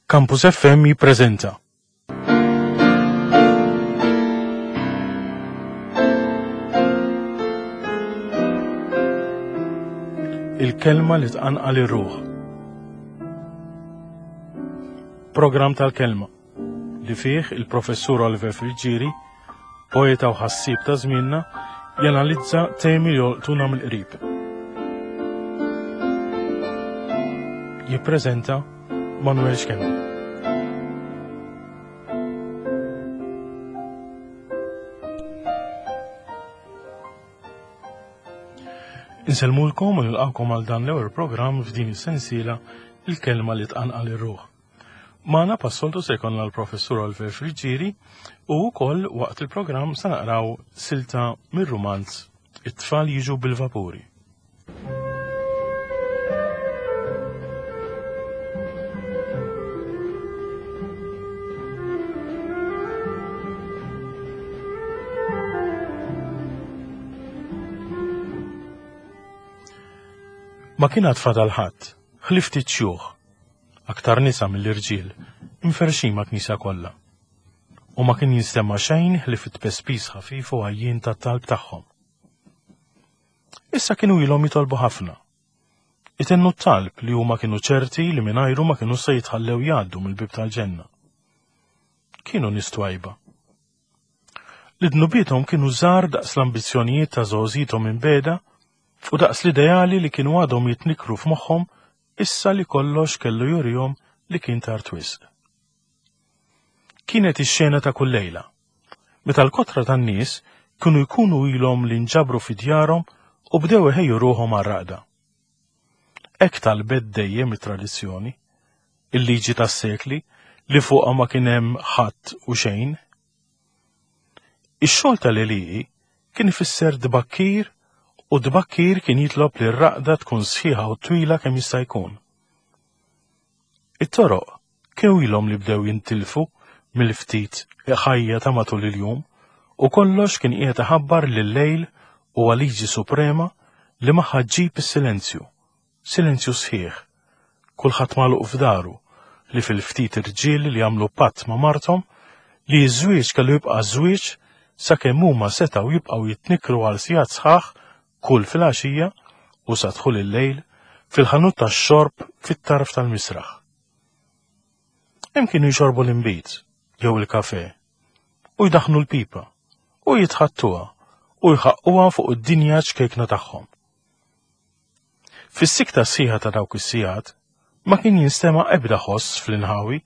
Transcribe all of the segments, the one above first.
Campus FM jippreżenta. Il-kelma li tqanqal ir-ruħ. Programm tal-kelma li fih il-professur Oliver Friggieri, poeta u ħassieb ta' żmienna, janalizza temi li jolqtuna mill-qrib. Jippreżenta Manuel Schembri. Insellmulkom u nilqakom għal dan l-ewwel programm f'din is-sensiela il-kelma li tqanqal ir-ruħ. Magħna passoltu se jkollna l-Professur Oliver Friggieri u wkoll waqt il-programm se naqraw silta mir-rumanz It-tfal jiġu bil-vapuri. Ma kien għad fadal ħadd, ħlief ftit xjuħ, aktar nisa mill-irġiel, imferrxin mal-knisja kollha. U ma kien jinstema' xejn ħlief it-tpespis ħafif u għajjien tat-talb tagħhom. Issa kienu ilhom jitolbu ħafna. Itennu t-talb li huma kienu ċerti li mingħajru ma kienu se jitħallew jgħaddu mill-bieb tal-ġenna. Kienu nies twajba. Li dnubiethom kienu żgħar daqs l-ambizzjonijiet ta' żgħożithom imbegħda u daqs l-ideali li kienu għadhom jitnikkru f'moħħhom issa li kollox kellu jurihom li kien tard wisq. Kienet ix-xena ta' kull lejla, meta l-kotra tan-nies kienu jkunu ilhom li nġabru fi djarhom u bdew iħejju ruħhom għar-raqda. Hekk talbet dejjem it-tradizzjoni, il-liġi tas-sekli li fuqha ma kien hemm ħadd u xejn. Ix-xogħol tal-għelieqi kien ifisser tbakkir u tbakkir kien jitlob li r-raqda tkun sħiħa u twila kemm jista' jkun. It-toroq kienu ilhom li bdew jintilfu mill-ftit ħajja ta' matul il-jum u kollox kien qiegħed iħabbar li l-lejl huwa liġi suprema li magħha ġġib is-silenzju, silenzju sħiħ, kulħadd magħluq f'daru, li fil-ftit irġiel li għamlu patt ma' marthom li ż-żwieġ kellu jibqa' żwieġ sakemm huma setgħu jibqgħu jitnikkru għal sigħat sħaħ kull filgħaxija u sa dħul il-lejl fil-ħanut tax-xorb fit-tarf tal-misraħ. Hemm kienu jxorbu l-inbid jew il-kafè u jdaħħnu l-pipa u jitħattuha u jħaqquha fuq id-dinja ċkejkna tagħhom. Fis-sikta sħiħa ta' dawk is-sigħat ma kien jinstema' ebda ħoss fl-inħawi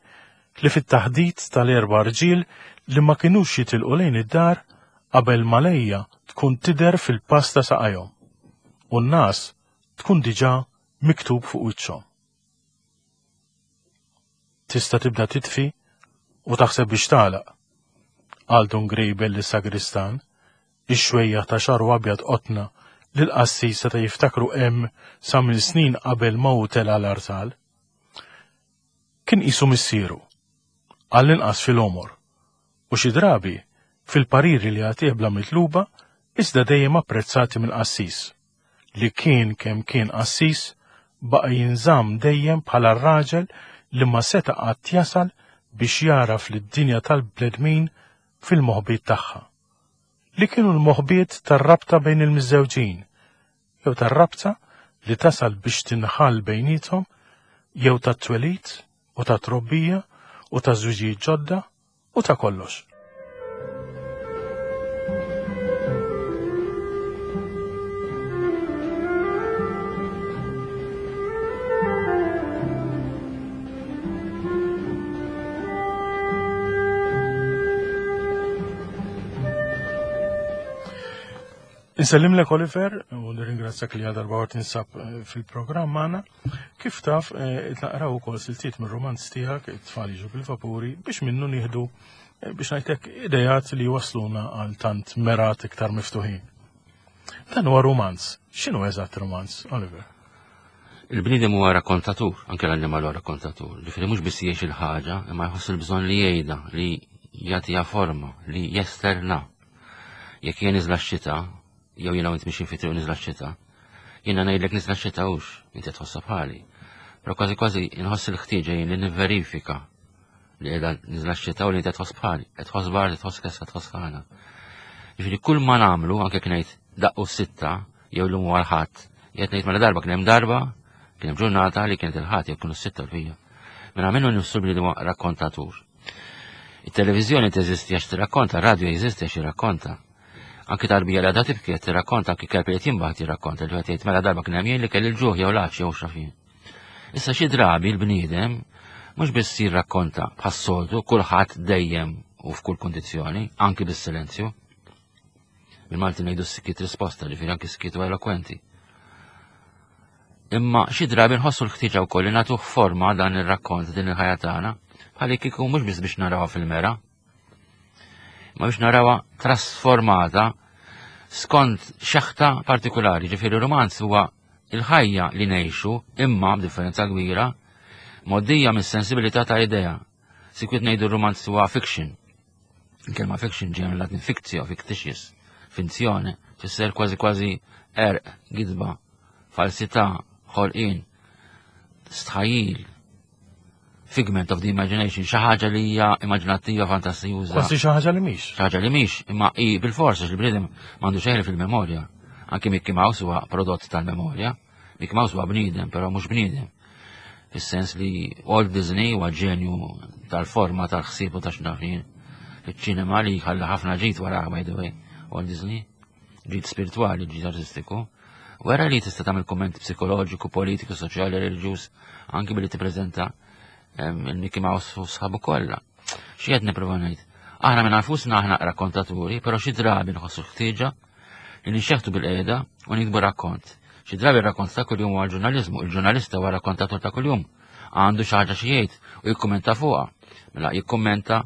li fit-taħdit tal-erba' rġiel li ma kinux jitilqu lejn id-dar qabel ma lejja tkun tidher fil-pass ta' saqajhom u n-ngħas tkun diġà miktub fuq wiċċhom. Tista' tibda titfi u taħseb biex tagħlaq, qal Dun Grejbel lis-sagristan, ix-xwejjaħ ta' xagħru abjad qotna li l-qassis seta' jiftakru hemm sa minn snin qabel ma hu tela' l-artal. Kien qisu missieru, għall-inqas fil-għomor, u xi drabi fil-pariri li jagħtih bla mitluba iżda dejjem apprezzati mill-qassis, li kien kemm kien qassis baqa' jinżamm dejjem bħala r-raġel li ma seta' qatt jasal biex jagħraf lid-dinja tal-bnedmin fil-moħbiet tagħha, li kienu l-moħbiet tar-rabta bejn il-miżżewġin, jew tar-rabta li tasal biex tinħall bejniethom, jew tat-twelid u tat-trobbija u taż-żwiġijiet ġodda u ta' kollox. Insellimlek Oliver u nirringrazzjak li għal darba tinsab eh, fil-programm magħna. Kif taf, eh, naqraw ukoll siltiet mir-romanz tiegħek, it-tfal jiġu bil-vapuri, biex minnu nieħdu eh, biex ngħidlek idejat li wasluna għal tant merat iktar miftuħin. Dan huwa romanz. X'inhu eżatt romanz, Oliver? Il-bniedem huwa rakkontatur, anke l-annimal huwa rakkontatur. Ġifieri mhux biss jgħix il-ħaġa, imma jħoss il-bżonn li jgħidha, li jagħtiha forma, li jesterna. Jekk jien niżla x-xita, jew jiena u int mixin fi triq niżla x-xita, jiena ngħidlek niżla x-xita hux, inti tħossha bħali. Però kważi kważi inħoss il-ħtieġa jien li nivverifika li qiegħda niżla x-xita u li qed tħoss bħali, qed tħoss bard, qed tħoss kessa, tħoss ħana. Jiġifieri kull ma nagħmlu anke kien ngħid daqqu sitta jew lum huwa l-ħadd, qed ngħid mela darba kien hemm darba, kien hemm ġurnata li kienet il-ħadd jew kienu s-sitta l-fija. Mela minnu nifsu bniedem huwa rakkontatur. Il-televiżjoni teżisti għax tirrakkonta, radio jeżisti għax jirrakkonta. Anki tarbija li għadha tibki qed tirrakkonta, anki kelb li qed jinbaħ jirrakkonta li qed jgħid mela darba kien hemm jien li kelli l-ġuħ jew l-għatx jew xafin. Issa xi drabi l-bniedem mhux biss jirrakkonta bħas-soltu kulħadd dejjem u f'kull kundizzjoni, anki bis-silenzju. Bil-Malti ngħidu s-sikit risposta, ġifieri anki s-sikit huwa elokwenti. Imma xi drabi nħossu l-ħtieġa wkoll li nagħtuh forma dan ir-rakkont din il-ħajja tagħna bħalli kieku mhux biss biex narawha fil-mera, ma biex narawha trasformata skont xeħta partikolari, ġifieri romanz huwa il-ħajja li ngħixu imma b'differenza kbira moddija mis-sensibilità ta' idea. Sikwit ngħidu r-romanz huwa fiction. Il-kelma fiction ġejja mill-Latin fictio, fictitious, finzjone, fisser kważi kważi erq, gidba, falsità, ħolqien, stħajil, figment of the imagination, xi ħaġa li hija immaġinattiva, fantastijuża. Kważi xi ħaġa li mhix. Xi ħaġa li mhix, imma hi bil-forsa x'il-bniedem m'għandu xejn fil-memorja. Anki Mickey Mouse huwa prodott tal-memorja. Mickey Mouse huwa bniedem, però mhux bniedem. Fis-sens li Walt Disney huwa ġenju tal-forma tal-ħsieb u ta' xnafin. Fiċ-ċinema li ħalla ħafna ġid wara by the way, Walt Disney, ġid spirituali, ġid artistiku. Wera li tista' tagħmel kumment psikoloġiku, politiku, soċjali, reliġjuż, anki billi tippreżenta il-Mickey Mouse u sħabu kollha. Xi qed nipprova ngħid? Aħna minn nfusna aħna rakkontaturi, però xi drabi nħossu ħtieġa li nixxeħtu bil-qiegħda u nikbu rakkont. Xi drabi rakkont ta' kuljum huwa l-ġurnaliżmu, il-ġurnalista huwa rakkontatur ta' kuljum. Għandu xi ħaġa xi jgħid u jikkummenta fuqha. Mela jikkummenta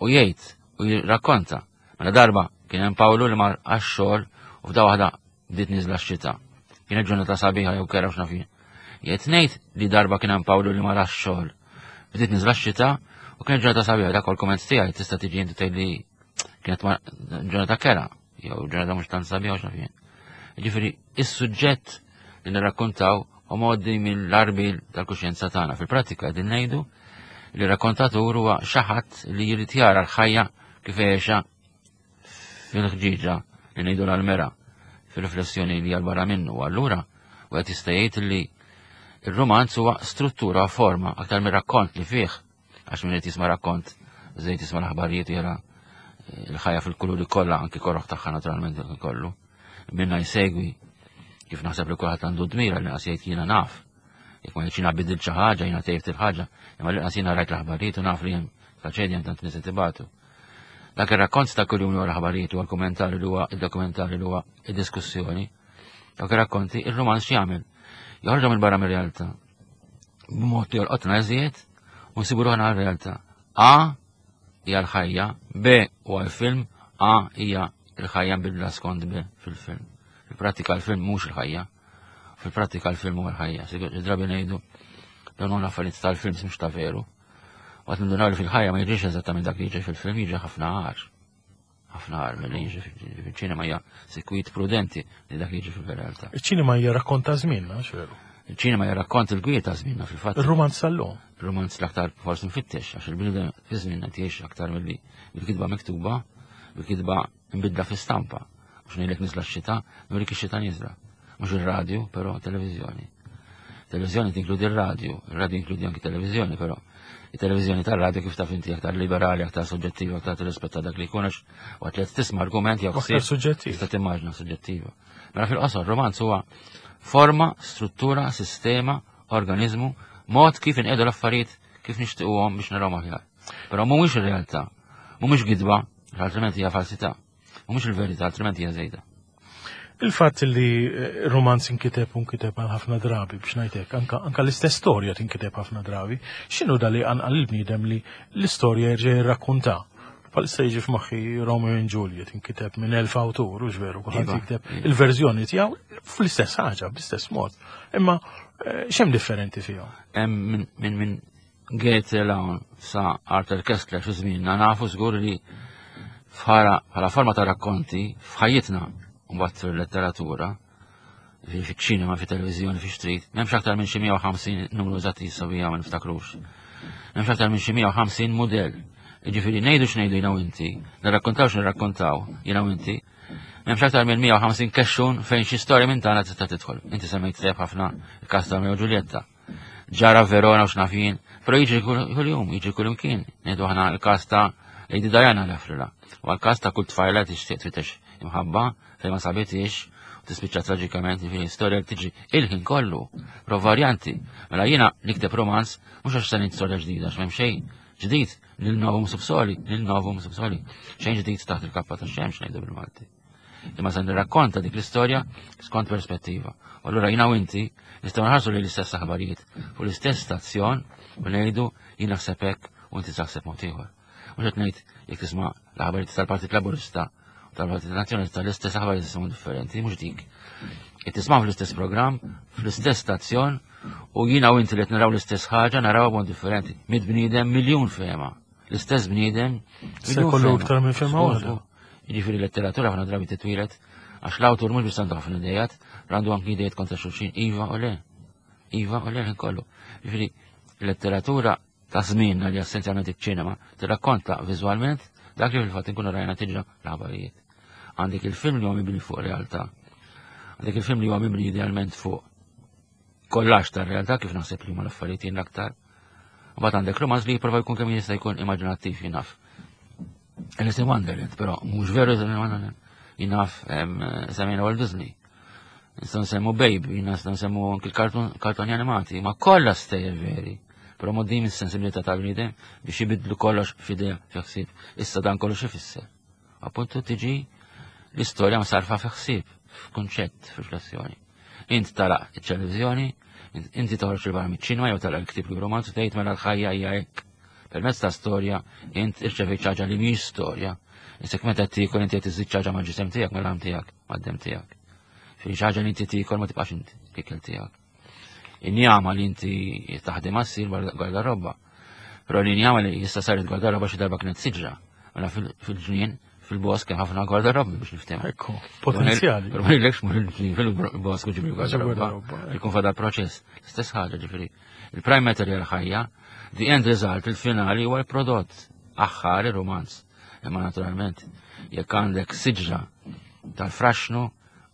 u jgħid u jirrakkonta. Mela darba kien hemm Pawlu li mar għax-xogħol u f'da waħda bdiet niżla x-xita. Kienet ġurnata sabiħa jew kera x'naf jien. Jgħid ngħid li darba kien hemm Pawlu li mar għax-xogħol. Bdiet niżla x-xita u kienet ġurnata sabiħa dak komment tiegħi tista' tiġi inti tgħid li kienet ġurnata kera jew ġurnata mhux tant sabiħa x'naf jien. Ġifieri is-suġġett li nirrakkontaw u modi mill-arbil tal-kuxjenza tagħna. Fil-prattika qegħdin ngħidu li rakkontatur huwa xi ħadd li jrid jara l-ħajja kif għexa fil-ħġieġa li ngħidu l-mera fil-riflessjoni li barra minnu. Allura, u qed jista' jgħid li il-romanz huwa struttura forma aktar mir rakkont li fih għax min qed jisma' rakkont żejt jisma' l-aħbarijiet jara eh, l-ħajja fil-kuluri kollha anki korroħ tagħha naturalment kollu. Minna jsegwi kif naħseb li kulħadd għandu dmira li qas jgħid jiena naf. Jekk ma jgħidx jiena bidilt xi ħaġa, jiena tejbt il-ħaġa, imma li qas jiena rajt l-aħbarijiet u naf li hemm traċedja hemm tant nies qed Dak ir-rakkont ta' kuljum huwa l-aħbarijiet huwa l-kummentarju li huwa id-dokumentarju li huwa id-diskussjoni. Dak ir-rakkonti ir-romanz x'jagħmel? Joħorġhom il barra mir-realtà. B'mod li jolqotna eżiet u nsibu ruħna għar-realtà. A hija l-ħajja, B huwa l-film, A hija l-ħajja nbidla skont B fil-film. Fil-prattika l-film mhux il-ħajja. Fil-prattika l-film huwa l-ħajja. Drabi ngħidu dawn huma l-affarijiet tal-films mhux ta' veru. Waqt nindunaw li fil-ħajja ma jiġix eżattament dak li jiġi fil-film, jiġi ħafna għar. Ħafna għar milli jiġi fil-ċinema hija sikwit prudenti li dak li jiġi fil-realtà. Iċ-ċinema hija rakkont ta' żmienna, veru? Iċ-ċinema hija rakkont il-gwir ta' żmienna fil-fatt. Ir-romanz tal-lum. Ir-romanz l-aktar forsi nfittex għax il-bniedem fi żmienna jgħix aktar milli bil-kitba miktuba, bil-kitba nbidla fi stampa. Mhux ngħidlek niżla x-xita, nurik ix-xita niżla. Mhux ir-radju, però televiżjoni. Televiżjoni tinkludi r-radju, ir-radju jinkludi anki televiżjoni, però it-televiżjoni tar-radju kif taf inti aktar liberali, aktar soġġettiva, aktar tirrispetta dak li jkun għax waqt li qed tisma' argument jew ħsieb. Suġġettiv. Tista' timmaġna suġġettiva. Mela fil-qosor, romanz huwa forma, struttura, sistema, organizmu, mod kif inqedu l-affarijiet kif nixtiequhom biex narahom aħjar. Però mhuwiex ir-realtà, mhumiex gidba, altrimenti hija falsità. U mhux il-verità, altrimenti hija żejda. Il-fatt li eh, romanz inkiteb u nkiteb għal ħafna drabi biex ngħidlek, anka, anka l-istess storja tinkiteb ħafna drabi, x'inhu da li għanqal il-bniedem li l-istorja jerġa' jirrakkunta? Palissa jiġi f'moħħi Romeo and Juliet inkiteb minn elf awtur, u veru, kulħadd iva, jikteb iva. il-verżjoni tiegħu fl-istess ħaġa, bl-istess mod. Imma eh, x'hemm differenti fihom? Hemm minn min Goethe 'l hawn sa Arthur Kessler fi żmienna nafu żgur li bħala forma ta' rakkonti f'ħajjitna u mbagħad fil-letteratura. Fiċ-ċinema, fit-televiżjoni, fi street, m'hemmx aktar minn xi 150 numru eżatt jissawija ma niftakrux. M'hemmx aktar minn xi 150 mudell. Jiġifieri ngħidu x'ngħidu jiena u inti, nirrakkontaw x'nirrakkontaw jiena u inti, m'hemmx aktar minn 150 kexxun fejn xi storja minn tagħna tista' tidħol. Inti semmejt tajjeb ħafna il-każ ta' Romeo Giulietta. Ġara Verona u x'naf jien, però jiġri kuljum, jiġri kull imkien. Ngħidu aħna l-każ ta' Lady Diana l-Afrila. U għal-każ ta' kull tfajla tixtieq tfittex imħabba fejn ma sabitix u tispiċċa traġikament fi storja li tiġi il-ħin kollu, pro varjanti. Mela jiena nikteb romanz mhux għax se ngħid storja ġdida għax m'hemm xejn ġdid lil novum subsoli, lil novum subsoli. Xejn ġdid taħt il-kappa tax-xemx ngħidu bil-Malti. Imma se nirrakkonta dik l-istorja skont perspettiva. U allura jiena u inti nistgħu nħarsu lejn l-istess aħbarijiet fuq l-istess stazzjon u ngħidu jien naħseb hekk u inti taħseb mod ieħor. Mhux qed ngħid jekk tisma' l-aħbarijiet tal-Partit Laburista u tal-Partit Nazzjonalista l-istess aħbarijiet tisma' differenti, mhux dik. Qed tisma' fl-istess programm, fl-istess stazzjon u jiena u inti li qed naraw l-istess ħaġa naraw b'mod differenti. Mid bniedem miljun fehma. L-istess bniedem. Se kollu iktar minn fehma waħda. Jiġifieri letteratura ħafna drabi titwieled għax l-awtur mhux biss għandu ħafna idejat, għandu anki idejat kontra xulxin, iva u le. Iva u le kollu. Jiġifieri letteratura ta' żmienna li essenzjalment iċ-ċinema tirrakkonta viżwalment dak li fil-fatt inkunu rajna tiġra l-aħbarijiet. Għandek il-film li huwa mibni fuq realtà. Għandek il-film li huwa mibni idealment fuq kollax tar-realtà kif naħseb li huma l-affarijiet jien l-aktar. Mbagħad għandek romanz li jipprova jkun kemm jista' jkun immaġinattiv jien naf. Alice in Wonderland, però mhux veru Alice in Wonderland. Jien naf semmejna Walt Disney. Nistgħu nsemmu Babe, jien nistgħu nsemmu anki l-kartoni animati, ma kollha stejjer veri. Però mod din is-sensibilità tal-bniedem biex jibidlu kollox f'idea fi ħsieb. Issa dan kollox ifisser. Appuntu tiġi l-istorja msarfa fi ħsieb, f'kunċett, f'riflessjoni. Int tara ċ-televiżjoni, inti toħroġ il-barra miċ-ċinema jew tara l-ktieb li romanz u tgħid mela l-ħajja hija hekk. Permezz ta' storja int irċevejt ħaġa li mhix storja. Isek meta tiekol inti qed iżid ħaġa mal-ġisem tiegħek mal-għam tiegħek, mad-dem tiegħek. Fi ħaġa li inti tiekol ma tibqax inti l-ikel tiegħek. Injama li inti taħdem għassir gwardarobba. Però l-injama li jista' saret gwardarobba xi darba kienet siġra. Mela fil-ġnien, fil-bosk hemm ħafna gwardarobbi biex niftehmu. Ekku, potenzjali. Però ma jgħidlekx mur il-ġnien fil-bosk u ġibri gwardarobba. Jkun fadal proċess. Stess ħaġa ġifieri. Il-prime material ħajja, the end result, il-finali huwa l-prodott aħħar ir-romanz. Imma naturalment, jekk għandek siġra tal-fraxnu,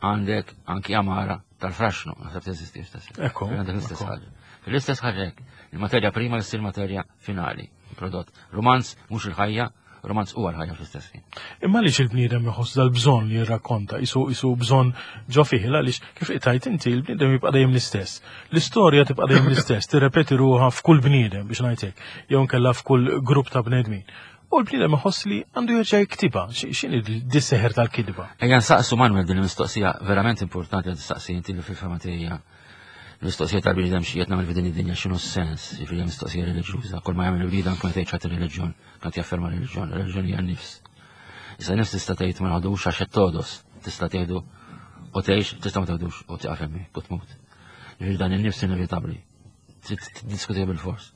għandek anki amara tal-fraxnu, naħseb teżisti stess. Ekku. Għandek l-istess ħaġa. L-istess ħaġa hekk, il-materja prima ssir materja finali, prodott. Romanz mhux il-ħajja, romanz huwa l-ħajja fl-istess ħin. Imma għaliex il-bniedem iħoss dal-bżonn li jirrakkonta, isu isu bżonn ġo fih, għaliex kif qtajt inti il-bniedem jibqa' dejjem l-istess. L-istorja tibqa' dejjem l-istess, tirrepeti ruħha f'kull bniedem biex ngħid hekk, jew nkella f'kull grupp ta' bnedmin. U l-bniedem iħoss li għandu jerġa' jiktibha. X'inhi dis-seħer tal-kitba? Ejja nsaqsu Manuel din il-mistoqsija verament importanti li tistaqsi inti li fil-fema tiegħi l-mistoqsija tal-bniedem xi qed nagħmel f'din id-dinja x'inhu s-sens, jiġifieri mistoqsija reliġjuża, kull ma jagħmel il-bniedem anke meta jċaħad ir-reliġjon, kant jafferma r-reliġjon, ir-reliġjon hija n-nifs. Issa nifs tista' tgħid ma naħdux għax qed todos, tista' tgħidu u tgħix, tista' ma tgħidux u tieqaf hemmhekk u tmut. Jiġifieri dan in-nifs inevitabbli. Trid tiddiskuti bil-fors.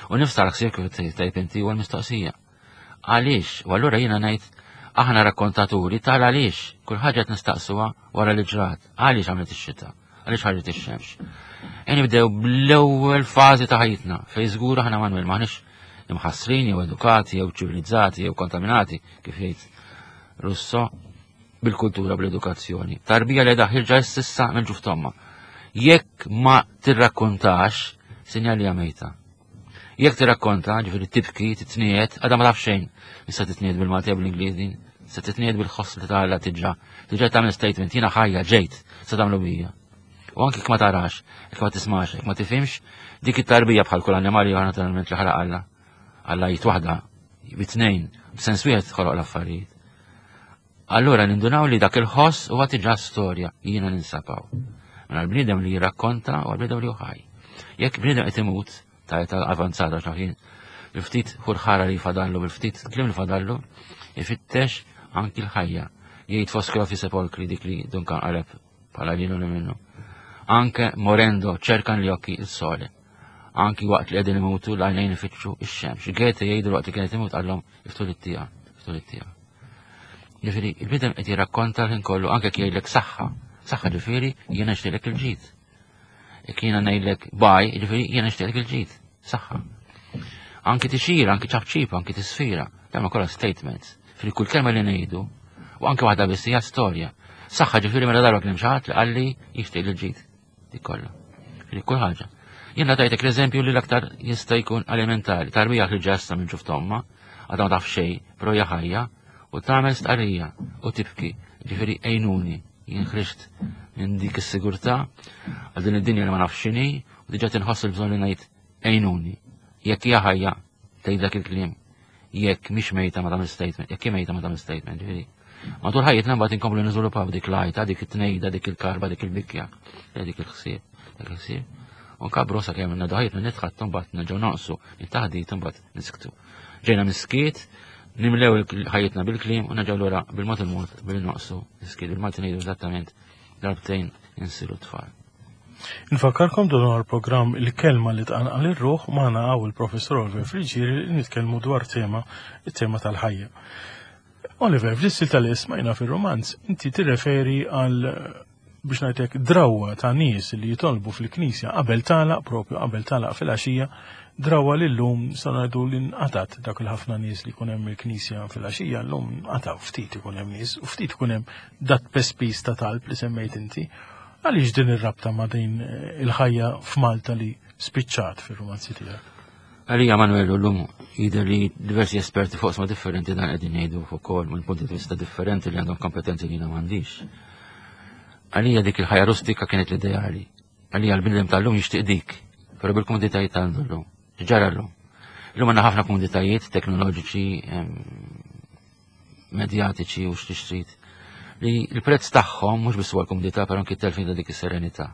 U nifs tal-ħsieb kif tajb inti huwa l-mistoqsija. Għaliex? U allura jiena ngħid aħna rakkontaturi tal għaliex kull ħaġa qed nistaqsuha wara li ġrat. Għaliex għamlet ix-xita? Għaliex ħarġet ix-xemx? E nibdew bl-ewwel fażi ta' ħajjitna fejn żgur aħna Manuel m'aħniex imħassrin jew edukati jew ċivilizzati jew kontaminati kif jgħid Russo bil-kultura bl-edukazzjoni. Tarbija li daħirġa s'issa minn ġuf tomma. Jekk ma tirrakkontax, sinjal li mejta. Jekk tirrakkonta, ġifieri tibki, titniet, għadha ma taf xejn. Issa titniet bil-Malti bil-Ingliż din, se titniet bil-ħoss li tagħla tiġra. Tiġra tagħmel statement, jiena ħajja ġejt, se tagħmlu bija. U anki jekk ma tarax, jekk ma tismax, jekk ma tifhimx, dik it-tarbija bħal kull annimali oħra naturalment li ħalaq Alla. Alla jgħid waħda, bit-tnejn, b'sens wieħed ħoloq l-affarijiet. Allura nindunaw li dak il-ħoss huwa diġà storja jiena ninsabaw. Mela l-bniedem li jirrakkonta u l-bniedem li ħaj. Jekk bniedem qed imut ta' età avanzata xaħin, bil-ftit ħurħara li fadallu, bil-ftit kliem li fadallu, ifittex anki l-ħajja. Jgħid foskro fi sepolkri dik li dunkan qaleb bħala lilu li minnu. Anke morendo ċerkan li occhi il-sole. Anki waqt li qegħdin imutu l-għajnejn ifittxu ix-xemx. Goethe jgħidu waqt li kienet imut qallhom iftu lit-tieqa, iftu lit-tieqa. Ġifieri, il-bniedem qed jirrakkonta l-ħin kollu anke jekk jgħidlek saħħa. Saħħa ġifieri jiena nixtieqlek il-ġid. Jekk jiena ngħidlek baj, ġifieri jiena nixtieqlek il-ġid. Saħħa. Anki tixira, anki ċapċipa, anki tisfira, dawn kollha statements. Fil kull kelma li ngħidu, u anke waħda biss hija storja. Saħħa ġifieri mela darba kien hemm xi ħadd li qalli jixtieq il-ġid. Dik kollha. Dik kull ħaġa. Jiena tajtek l-eżempju li l-aktar jista' jkun elementari. Tarbija li ġassa minn ġuf tomma, għadha ma taf xejn, però hija ħajja, u tagħmel stqarrija u tibki, ġifieri għejnuni, jien ħriġt minn dik is-sigurtà għal din id-dinja li ma nafx x'inhi u diġà tinħoss il-bżonn li ngħid għejnuni. Jekk hija ħajja tgħid dak il-kliem jekk mhix mejta ma tagħmel statement, jekk hi mejta ma tagħmel statement, ġifieri. Matul ħajjitna mbagħad inkomplu niżviluppaw dik l-għajta, dik it-tnejda, dik il-karba, dik il-bikja, dik il-ħsieb, dik il-ħsieb. U nkabru sakemm ngħidu ħajjitna nitħattu mbagħad nerġgħu naqsu, it-taħdit mbagħad nisktu. Ġejna miskiet, nimlew ħajjitna bil-kliem u nerġgħu lura bil-mod il-mod billi naqsu niskiet. Bil-Malti ngħidu eżattament darbtejn insiru tfal. Nfakkarkom dan huwa l-programm Il-Kelma li tqanqal ir-ruħ magħna hawn il-Professur Oliver Friggieri li nitkellmu dwar tema, it-tema tal-ħajja. Oliver, fl-istil tal-ismajna fir-romanz, inti tirreferi għal biex ngħidlek drawwa ta' nies li jitolbu fil-knisja qabel tagħlaq propju qabel tagħlaq fil-għaxija, drawwa li llum sa ngħidu li nqatat dak il-ħafna nies li jkun hemm il-knisja fil-għaxija llum nqataw ftit ikun hemm nies u ftit ikun hemm dat pespis ta' talb li semmejt inti. Għaliex din ir-rabta ma' din eh, il-ħajja f'Malta li spiċċat fir-romanzi tiegħek? Għalija Manuel llum jidher li diversi esperti fuq sma differenti dan qegħdin jgħidu fuq ukoll minn punti di vista differenti li għandhom kompetenzi li jiena m'għandix. Għalija dik il-ħajja rustika kienet l-ideali. Għalija l-bniedem tal-lum jixtieq dik, però bil-komoditajiet għandu llum. Ġara llum. Illum għandna ħafna komoditajiet teknoloġiċi, medjatiċi u x'tixtrid li l-prezz tagħhom mhux biss huwa l-kumdità però anki t-telfin ta' dik is-serenità.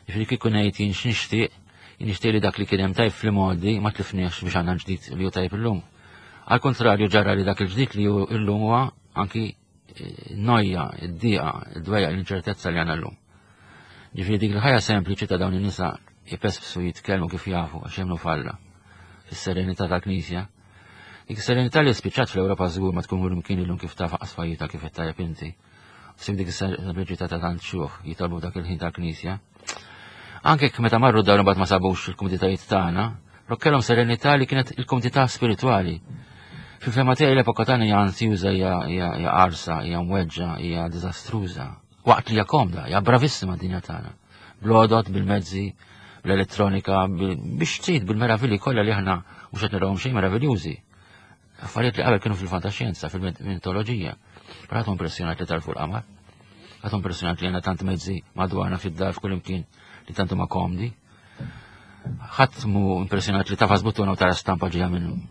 Jiġifieri kieku ngħid jien x'nixtieq, jien nixtieq li dak li kien hemm tajb fl-imgħoddi ma tlifniex biex għandna ġdid li hu tajb illum. Għal kontrarju ġara li dak il-ġdid li hu illum huwa anki eh, noja, id-diqa, id-dwejja, l-inċertezza li għandna llum. Ġifieri dik il-ħajja sempliċi ta' dawn in-nisa jpespsu jitkellmu kif jafu għax jemmnu f'Alla fis-serenità tal-Knisja Dik is-serenità li spiċċat fl-Ewropa żgur ma tkun mkien illum kif taf qasfajjita kif qed tajjeb inti. Sim dik is-sempliċità ta' tant xjuħ jitolbu dak il-ħin tal-Knisja. Anke jekk meta marru dar imbagħad ma sabux il-kumditajiet tagħna, però kellhom serenità li kienet il-kumdità spiritwali. Fil-fema tiegħi l-epoka tagħna hija ansjuża, hija qarsa, hija mweġġa, hija diżastruża. Waqt li hija komda, hija bravissima d-dinja tagħna. Bl-għodod, bil-mezzi, bl-elettronika, biex trid bil-meravilji kollha li aħna mhux qed narawhom xejn meraviljużi. Affarijiet li qabel kienu fil-fantaxjenza, fil-mitoloġija. Però ħadd impressjonat li tarfu l-qamar. Ħadd impressjonat li għandna tant mezzi madwarna fid-dar f'kull imkien li tant huma komdi. Ħadd mu impressjonat li tafas buttuna u tara stampa ġejja minn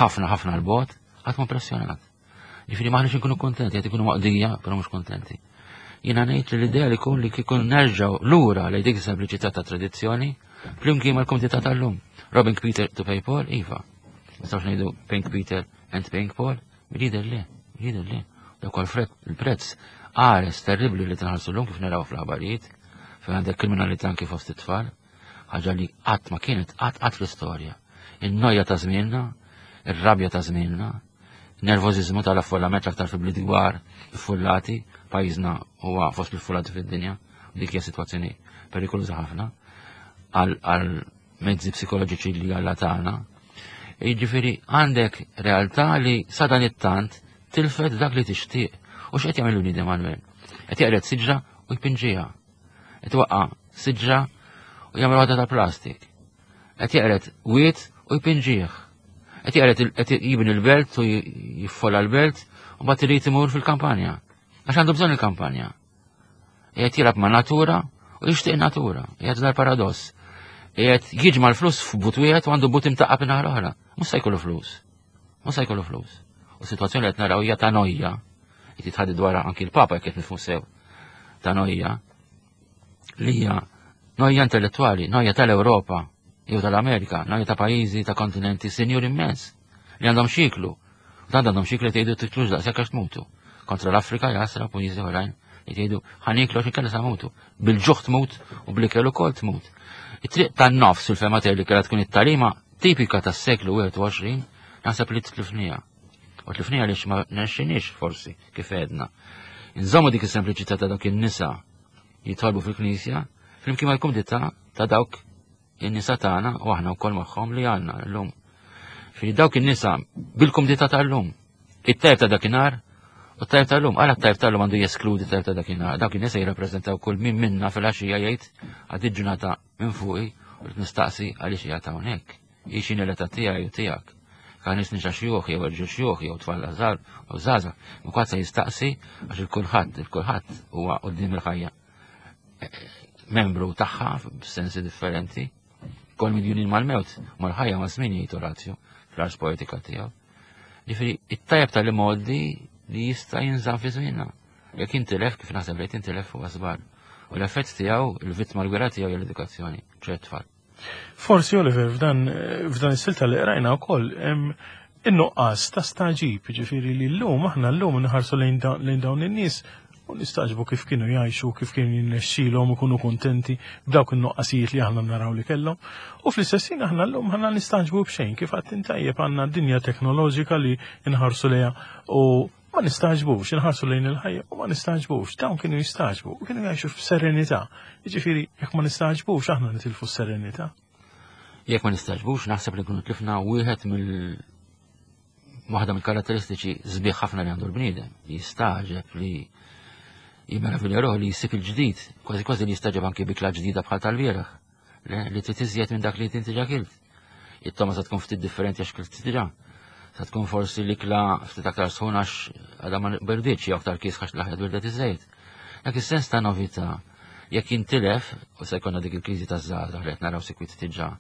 ħafna ħafna l-bot, ħadd mu impressjonat. Ġifieri maħniex inkunu kontenti, qed ikunu maqdija, però mhux kontenti. Jiena ngħid li l-idea li jkun li kikun nerġgħu lura lejn dik is-sempliċità ta' tradizzjoni flimkien mal-kumdità tal-lum. Robbing Peter to pay Paul, iva. Nistgħux ngħidu Pink Peter and Pink Paul, jidher le, jidher le. Dak il-prezz qares terribli li tinħallsu llum kif naraw fl-aħbarijiet, fejn għandek kriminalità anki fost it-tfal, ħaġa li qatt ma kienet qatt qatt fl-istorja. In-noja ta' żmienna, ir-rabja ta' żmienna, Nervożiżmu tal-affollament l-aktar fi bliet kbar iffullati, pajjiżna huwa fost l-iffullati fid-dinja, dik hija sitwazzjoni perikoluża ħafna għal mezzi psikoloġiċi li għalla tagħna. Jiġifieri għandek realtà li sa dan it-tant tilfet dak li tixtieq. U x'qed jagħmel l-bniedem Manuel? Qed jaqred siġra u jpinġiha. Qed waqqa' siġra u jagħmel waħda ta' plastik. Qed jeqred wied u jpinġih. Qed jeqred qed jibni l-belt u jiffola l-belt u mbagħad irid imur fil-kampanja. Għax għandu bżonn il-kampanja. Qiegħed jilgħab ma' natura u jixtieq natura. Qiegħed dar paradoss. Qiegħed jiġma' l-flus f'but wieħed u għandu but imtaqqab in-naħa l-oħra. Mhux se jkollu flus. Mhux se jkollu flus. U situazzjoni li qed naraw hija ta' nojja. Qed jitħaddi dwarha anki l-Papa jekk qed nifhmu sew. Ta' nojja li hija noja intellettwali, noja tal-Ewropa jew tal-Amerika, noja ta' pajjiżi ta' kontinenti sinjur immens li għandhom xiklu. U tant għandhom xiklu li tgħidu tiklux daqshekk għax tmutu. Kontra l-Afrika jasra pajjiżi oħrajn li tgħidu ħaniklu għax inkella sa mutu. Bil-ġuħ tmut u bl-ikel ukoll tmut. It-triq tan-nofs fil-fema tiegħi li kellha tkun it-talima tipika tas-seklu 21 naħseb li tlifnija. U tlifnija għaliex ma nexxinix forsi kif għedna. Inżommu dik is-sempliċità ta' dak in-nisa. Jitolbu fil-knisja flimkien mal-kumdità ta' dawk in-nisa tagħna u aħna wkoll magħhom li għandna llum. Fi dawk in-nisa bil-kumdità tal-lum. It-tajb ta' dakinhar u t-tajb tal-lum. Għala t-tajb tal-lum għandu jeskludi t-tajb ta' dakinhar. Dawk in-nisa jirrappreżentaw kull min minna fil-għaxija jgħid għad ġurnata minn fuqi u nistaqsi għaliex qiegħed hawnhekk. Hi x'inhi l-età tiegħi u tiegħek. Ka nies nisa xjuħ jew irġiel xjuħ jew tfal żgħar u żgħażagħ, ma kulħadd se jistaqsi għax il-kulħadd, il-kulħadd huwa quddiem il-ħajja membru tagħha f'sensi differenti. Kol midjunin mal-mewt, mal-ħajja ma' żmien jgħid Orazio fl-ars poetika tiegħu. Ġifieri, it-tajjeb tal-imgħoddi li jista' jinżamm fi żmienna. Jekk intilef kif naħseb li tintilef huwa żball. U l-effett tiegħu, il-vittma l-gwira tiegħu hija l-edukazzjoni, ċert tfal. Forsi Oliver f'dan f'dan is-silta li qrajna wkoll hemm in-nuqqas ta' staġib, ġifieri li llum aħna llum nħarsu lejn dawn in-nies u nistaġbu kif kienu jgħixu, kif kienu jinnexxilhom ikunu kuntenti b'dawk in-nuqqasijiet li aħna naraw li kellhom. U fl-istess ħin aħna llum aħna nistaġbu b'xejn kif għad intajjeb għandna dinja teknoloġika li nħarsu lejha u Ma nistagħġbux, inħarsu lejn il-ħajja u ma nistagħġbux. Dawn kienu jistagħġbu u kienu jgħixu f'serenità. Jiġifieri, jekk ma nistagħġbux aħna nitilfu s-serenità. Jekk ma nistagħġbux, naħseb li nkunu tlifna wieħed mill waħda mill-karatteristiċi sbieħ ħafna li għandu l-bniedem, li jistaġeb li jimeravilja ruħu li jsib il-ġdid, kważi kważi li jistaġeb anki bikla ġdida bħal tal-bieraħ. Le, li trid iżjed minn dak li inti ġa kilt. It-toma sa tkun ftit differenti għax kilt diġà. Sa tkun forsi l-ikla ftit aktar sħun għax għadha ma berditx jew aktar kies għax l-aħjar birdet iżejt. Dak is-sens ta' novità jekk jintilef u se jkollna dik il-kriżi taż-żgħażagħ li qed naraw sikwit diġà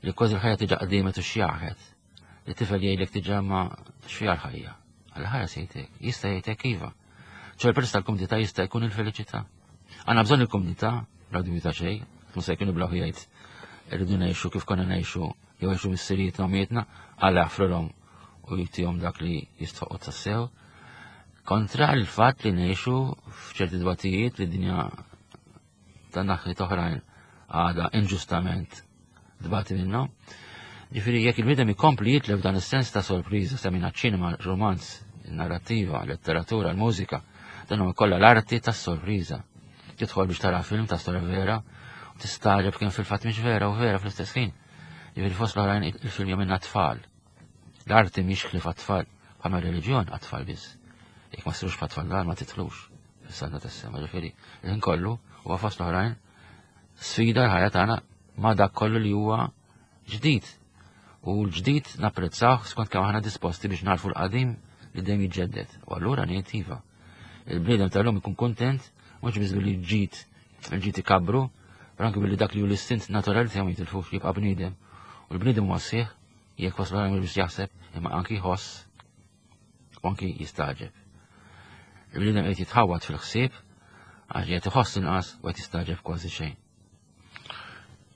li kważi l-ħajja tiġa qdimet u xjaħet. Li tifel jgħidlek diġà ma xfiha l-ħajja. Għal-ħajja se jgħidlek, jista' jgħidlek iva. ċe l-prezz tal-kumdità jista' jkun il-felicità. Għandna bżonn il-kumdità, bla dubju ta' xejn, mhux se jkun ibla jgħid irridu ngħixu kif konna ngħixu jew għexu missirijietna u mietna, Alla jaħfrilhom u jtihom dak li jistħoqqu tassew. Kontra l-fatt li ngħixu f'ċerti dbatijiet li dinja ta' naħliet oħrajn għada inġustament dbati minnhom. Ġifieri jekk il-bniedem ikompli jitlef dan is-sens ta' sorpriża semina ċinema, romanz, narrattiva, letteratura, l-mużika, dan huwa kollha l-arti tas-sorpriża. Tidħol biex tara film ta' storja vera u tistagħġeb kemm fil-fatt mhix vera u vera fl-istess ħin. Ġifieri fost l-oħrajn il-film jagħmilna tfal. L-arti mhix ħlief għat-tfal, bħalma reliġjon għat-tfal biss. Jekk ma ssirux bħat-tfal dan ma titlux fis-saltna tas-sema, ġifieri il-ħin kollu huwa fost l-oħrajn sfida l-ħajja tagħna ma' dak kollu li huwa ġdid. U l-ġdid napprezzawh skont kemm aħna disposti biex narfu l-qadim li dejjem jiġġedded. U allura ngħid iva. Il-bniedem tal-lum ikun kuntent mhux biss billi ġid il-ġid ikabru, però anke billi dak li hu l-istint naturali tiegħu ma jitilfux jibqa' bniedem. U l-bniedem huwa sieħ jekk waslu mhux biss jaħseb imma anki jħoss u anki jistaġeb. Il-bniedem qed jitħawwad fil-ħsieb għax qed iħoss inqas u qed jistaġeb kważi xejn.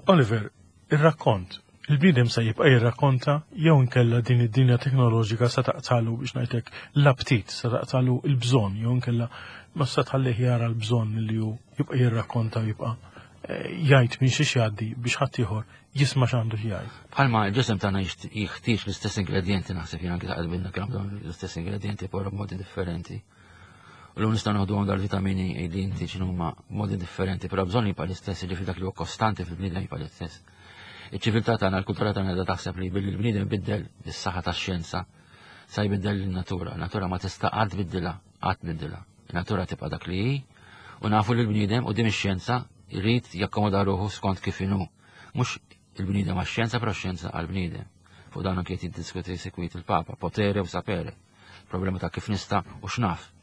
Oliver, ir-rakkont, il-bniedem se jibqa' jirrakkonta jew inkella din id-dinja teknoloġika se taqtalu biex ngħidlek l-aptit, se taqtalu l-bżonn jew inkella ma se tħallih jara l-bżonn li hu jibqa' jirrakkonta u jibqa' eh, jgħid minn xiex jgħaddi biex ħaddieħor jisma' x'għandu jgħid. Bħalma l-ġisem tagħna jeħtieġ l-istess ingredjenti naħseb jien anke taqbilna kemm dawn l-istess ingredjenti però b'modi differenti. U l nistgħu naħdu għandha l-vitamini li inti x'inhuma modi differenti, però bżonn jibqa' l-istess, jiġifieri dak li huwa kostanti fil-bniedem jibqa' l-istess. Iċ-ċiviltà tagħna, l-kultura tagħna qiegħda taħseb li billi l-bniedem biddel is-saħħa tax-xjenza sa jbiddel in-natura. Natura ma tista' qatt tbiddilha, qatt tbiddilha. In-natura tibqa' dak li hi u nafu li l-bniedem quddiem ix-xjenza jrid jakkomoda ruħu skont kif inhu. Mhux il-bniedem għax-xjenza, però x-xjenza għall-bniedem. Fuq dan anke qed jiddiskuti sikwit il-Papa, potere u sapere. Problema ta' kif nista' u x'naf.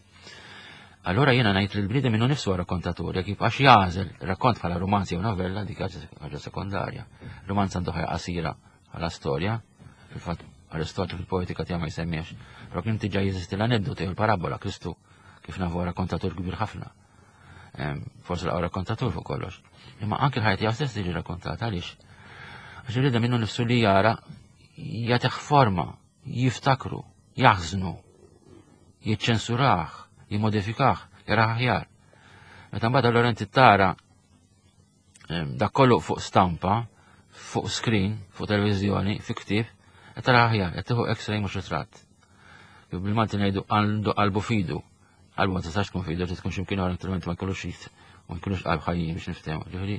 Allora jiena ngħid li l-bniedem minnu nifsu rakkontatur, jekk jibqax jagħżel rakkont bħala romanz jew novella dik ħaġa sekondarja. Romanz għandu ħajja qasira bħala storja, fil-fatt Aristotlu fil-poetika tiegħu ma jsemmiex, però kien diġà jeżisti l-aneddotu jew il-parabola Kristu kif nafu rakkontatur kbir ħafna. Forsi l rakkontatur fuq kollox. Imma anke l-ħajja tiegħu stess tiġi rakkontata għaliex. Għax il minnu nifsu li jara jagħtih forma, jiftakru, jaħżnu, jiċċensurah, jimmodifikah, jarah aħjar. Meta mbagħad allura inti tara dak kollu fuq stampa, fuq screen, fuq televiżjoni, fi ktieb, qed tara aħjar, qed tieħu x-ray mhux ritratt. Bil-Malti ngħidu għandu qalbu fidu. Qalbu ma tistax tkun fidu, trid tkun x'imkien oħra naturalment ma jkollux xit. U nkunux qalb ħajjin biex niftehmu. Ġifieri,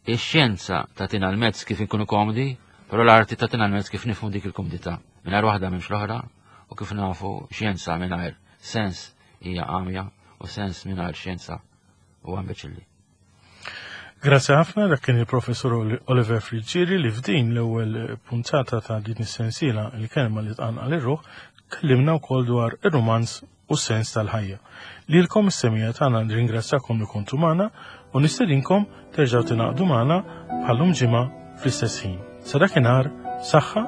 ix-xjenza tagħtina l-mezz kif inkunu komdi, però l-arti tagħtina l-mezz kif nifhmu dik il-kumdità. Mingħajr waħda m'hemmx l-oħra u kif nafu xjenza mingħajr sens hija għamja u sens mingħajr xjenza huwa imbeċilli. Grazzi ħafna dak kien il-professur Oliver Friggieri li f'din l-ewwel puntata ta' din is-sensiela il-kelma li tqanqal ir-ruħ kellimna wkoll dwar ir-rumanz u s-sens tal-ħajja. Lilkom is-semija tagħna nirringrazzjakom li kontu magħna u nistedinkom terġgħu tingħaqdu magħna bħallum ġimgħa fl-istess ħin. Sa dakinhar, saħħa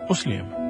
u sliem.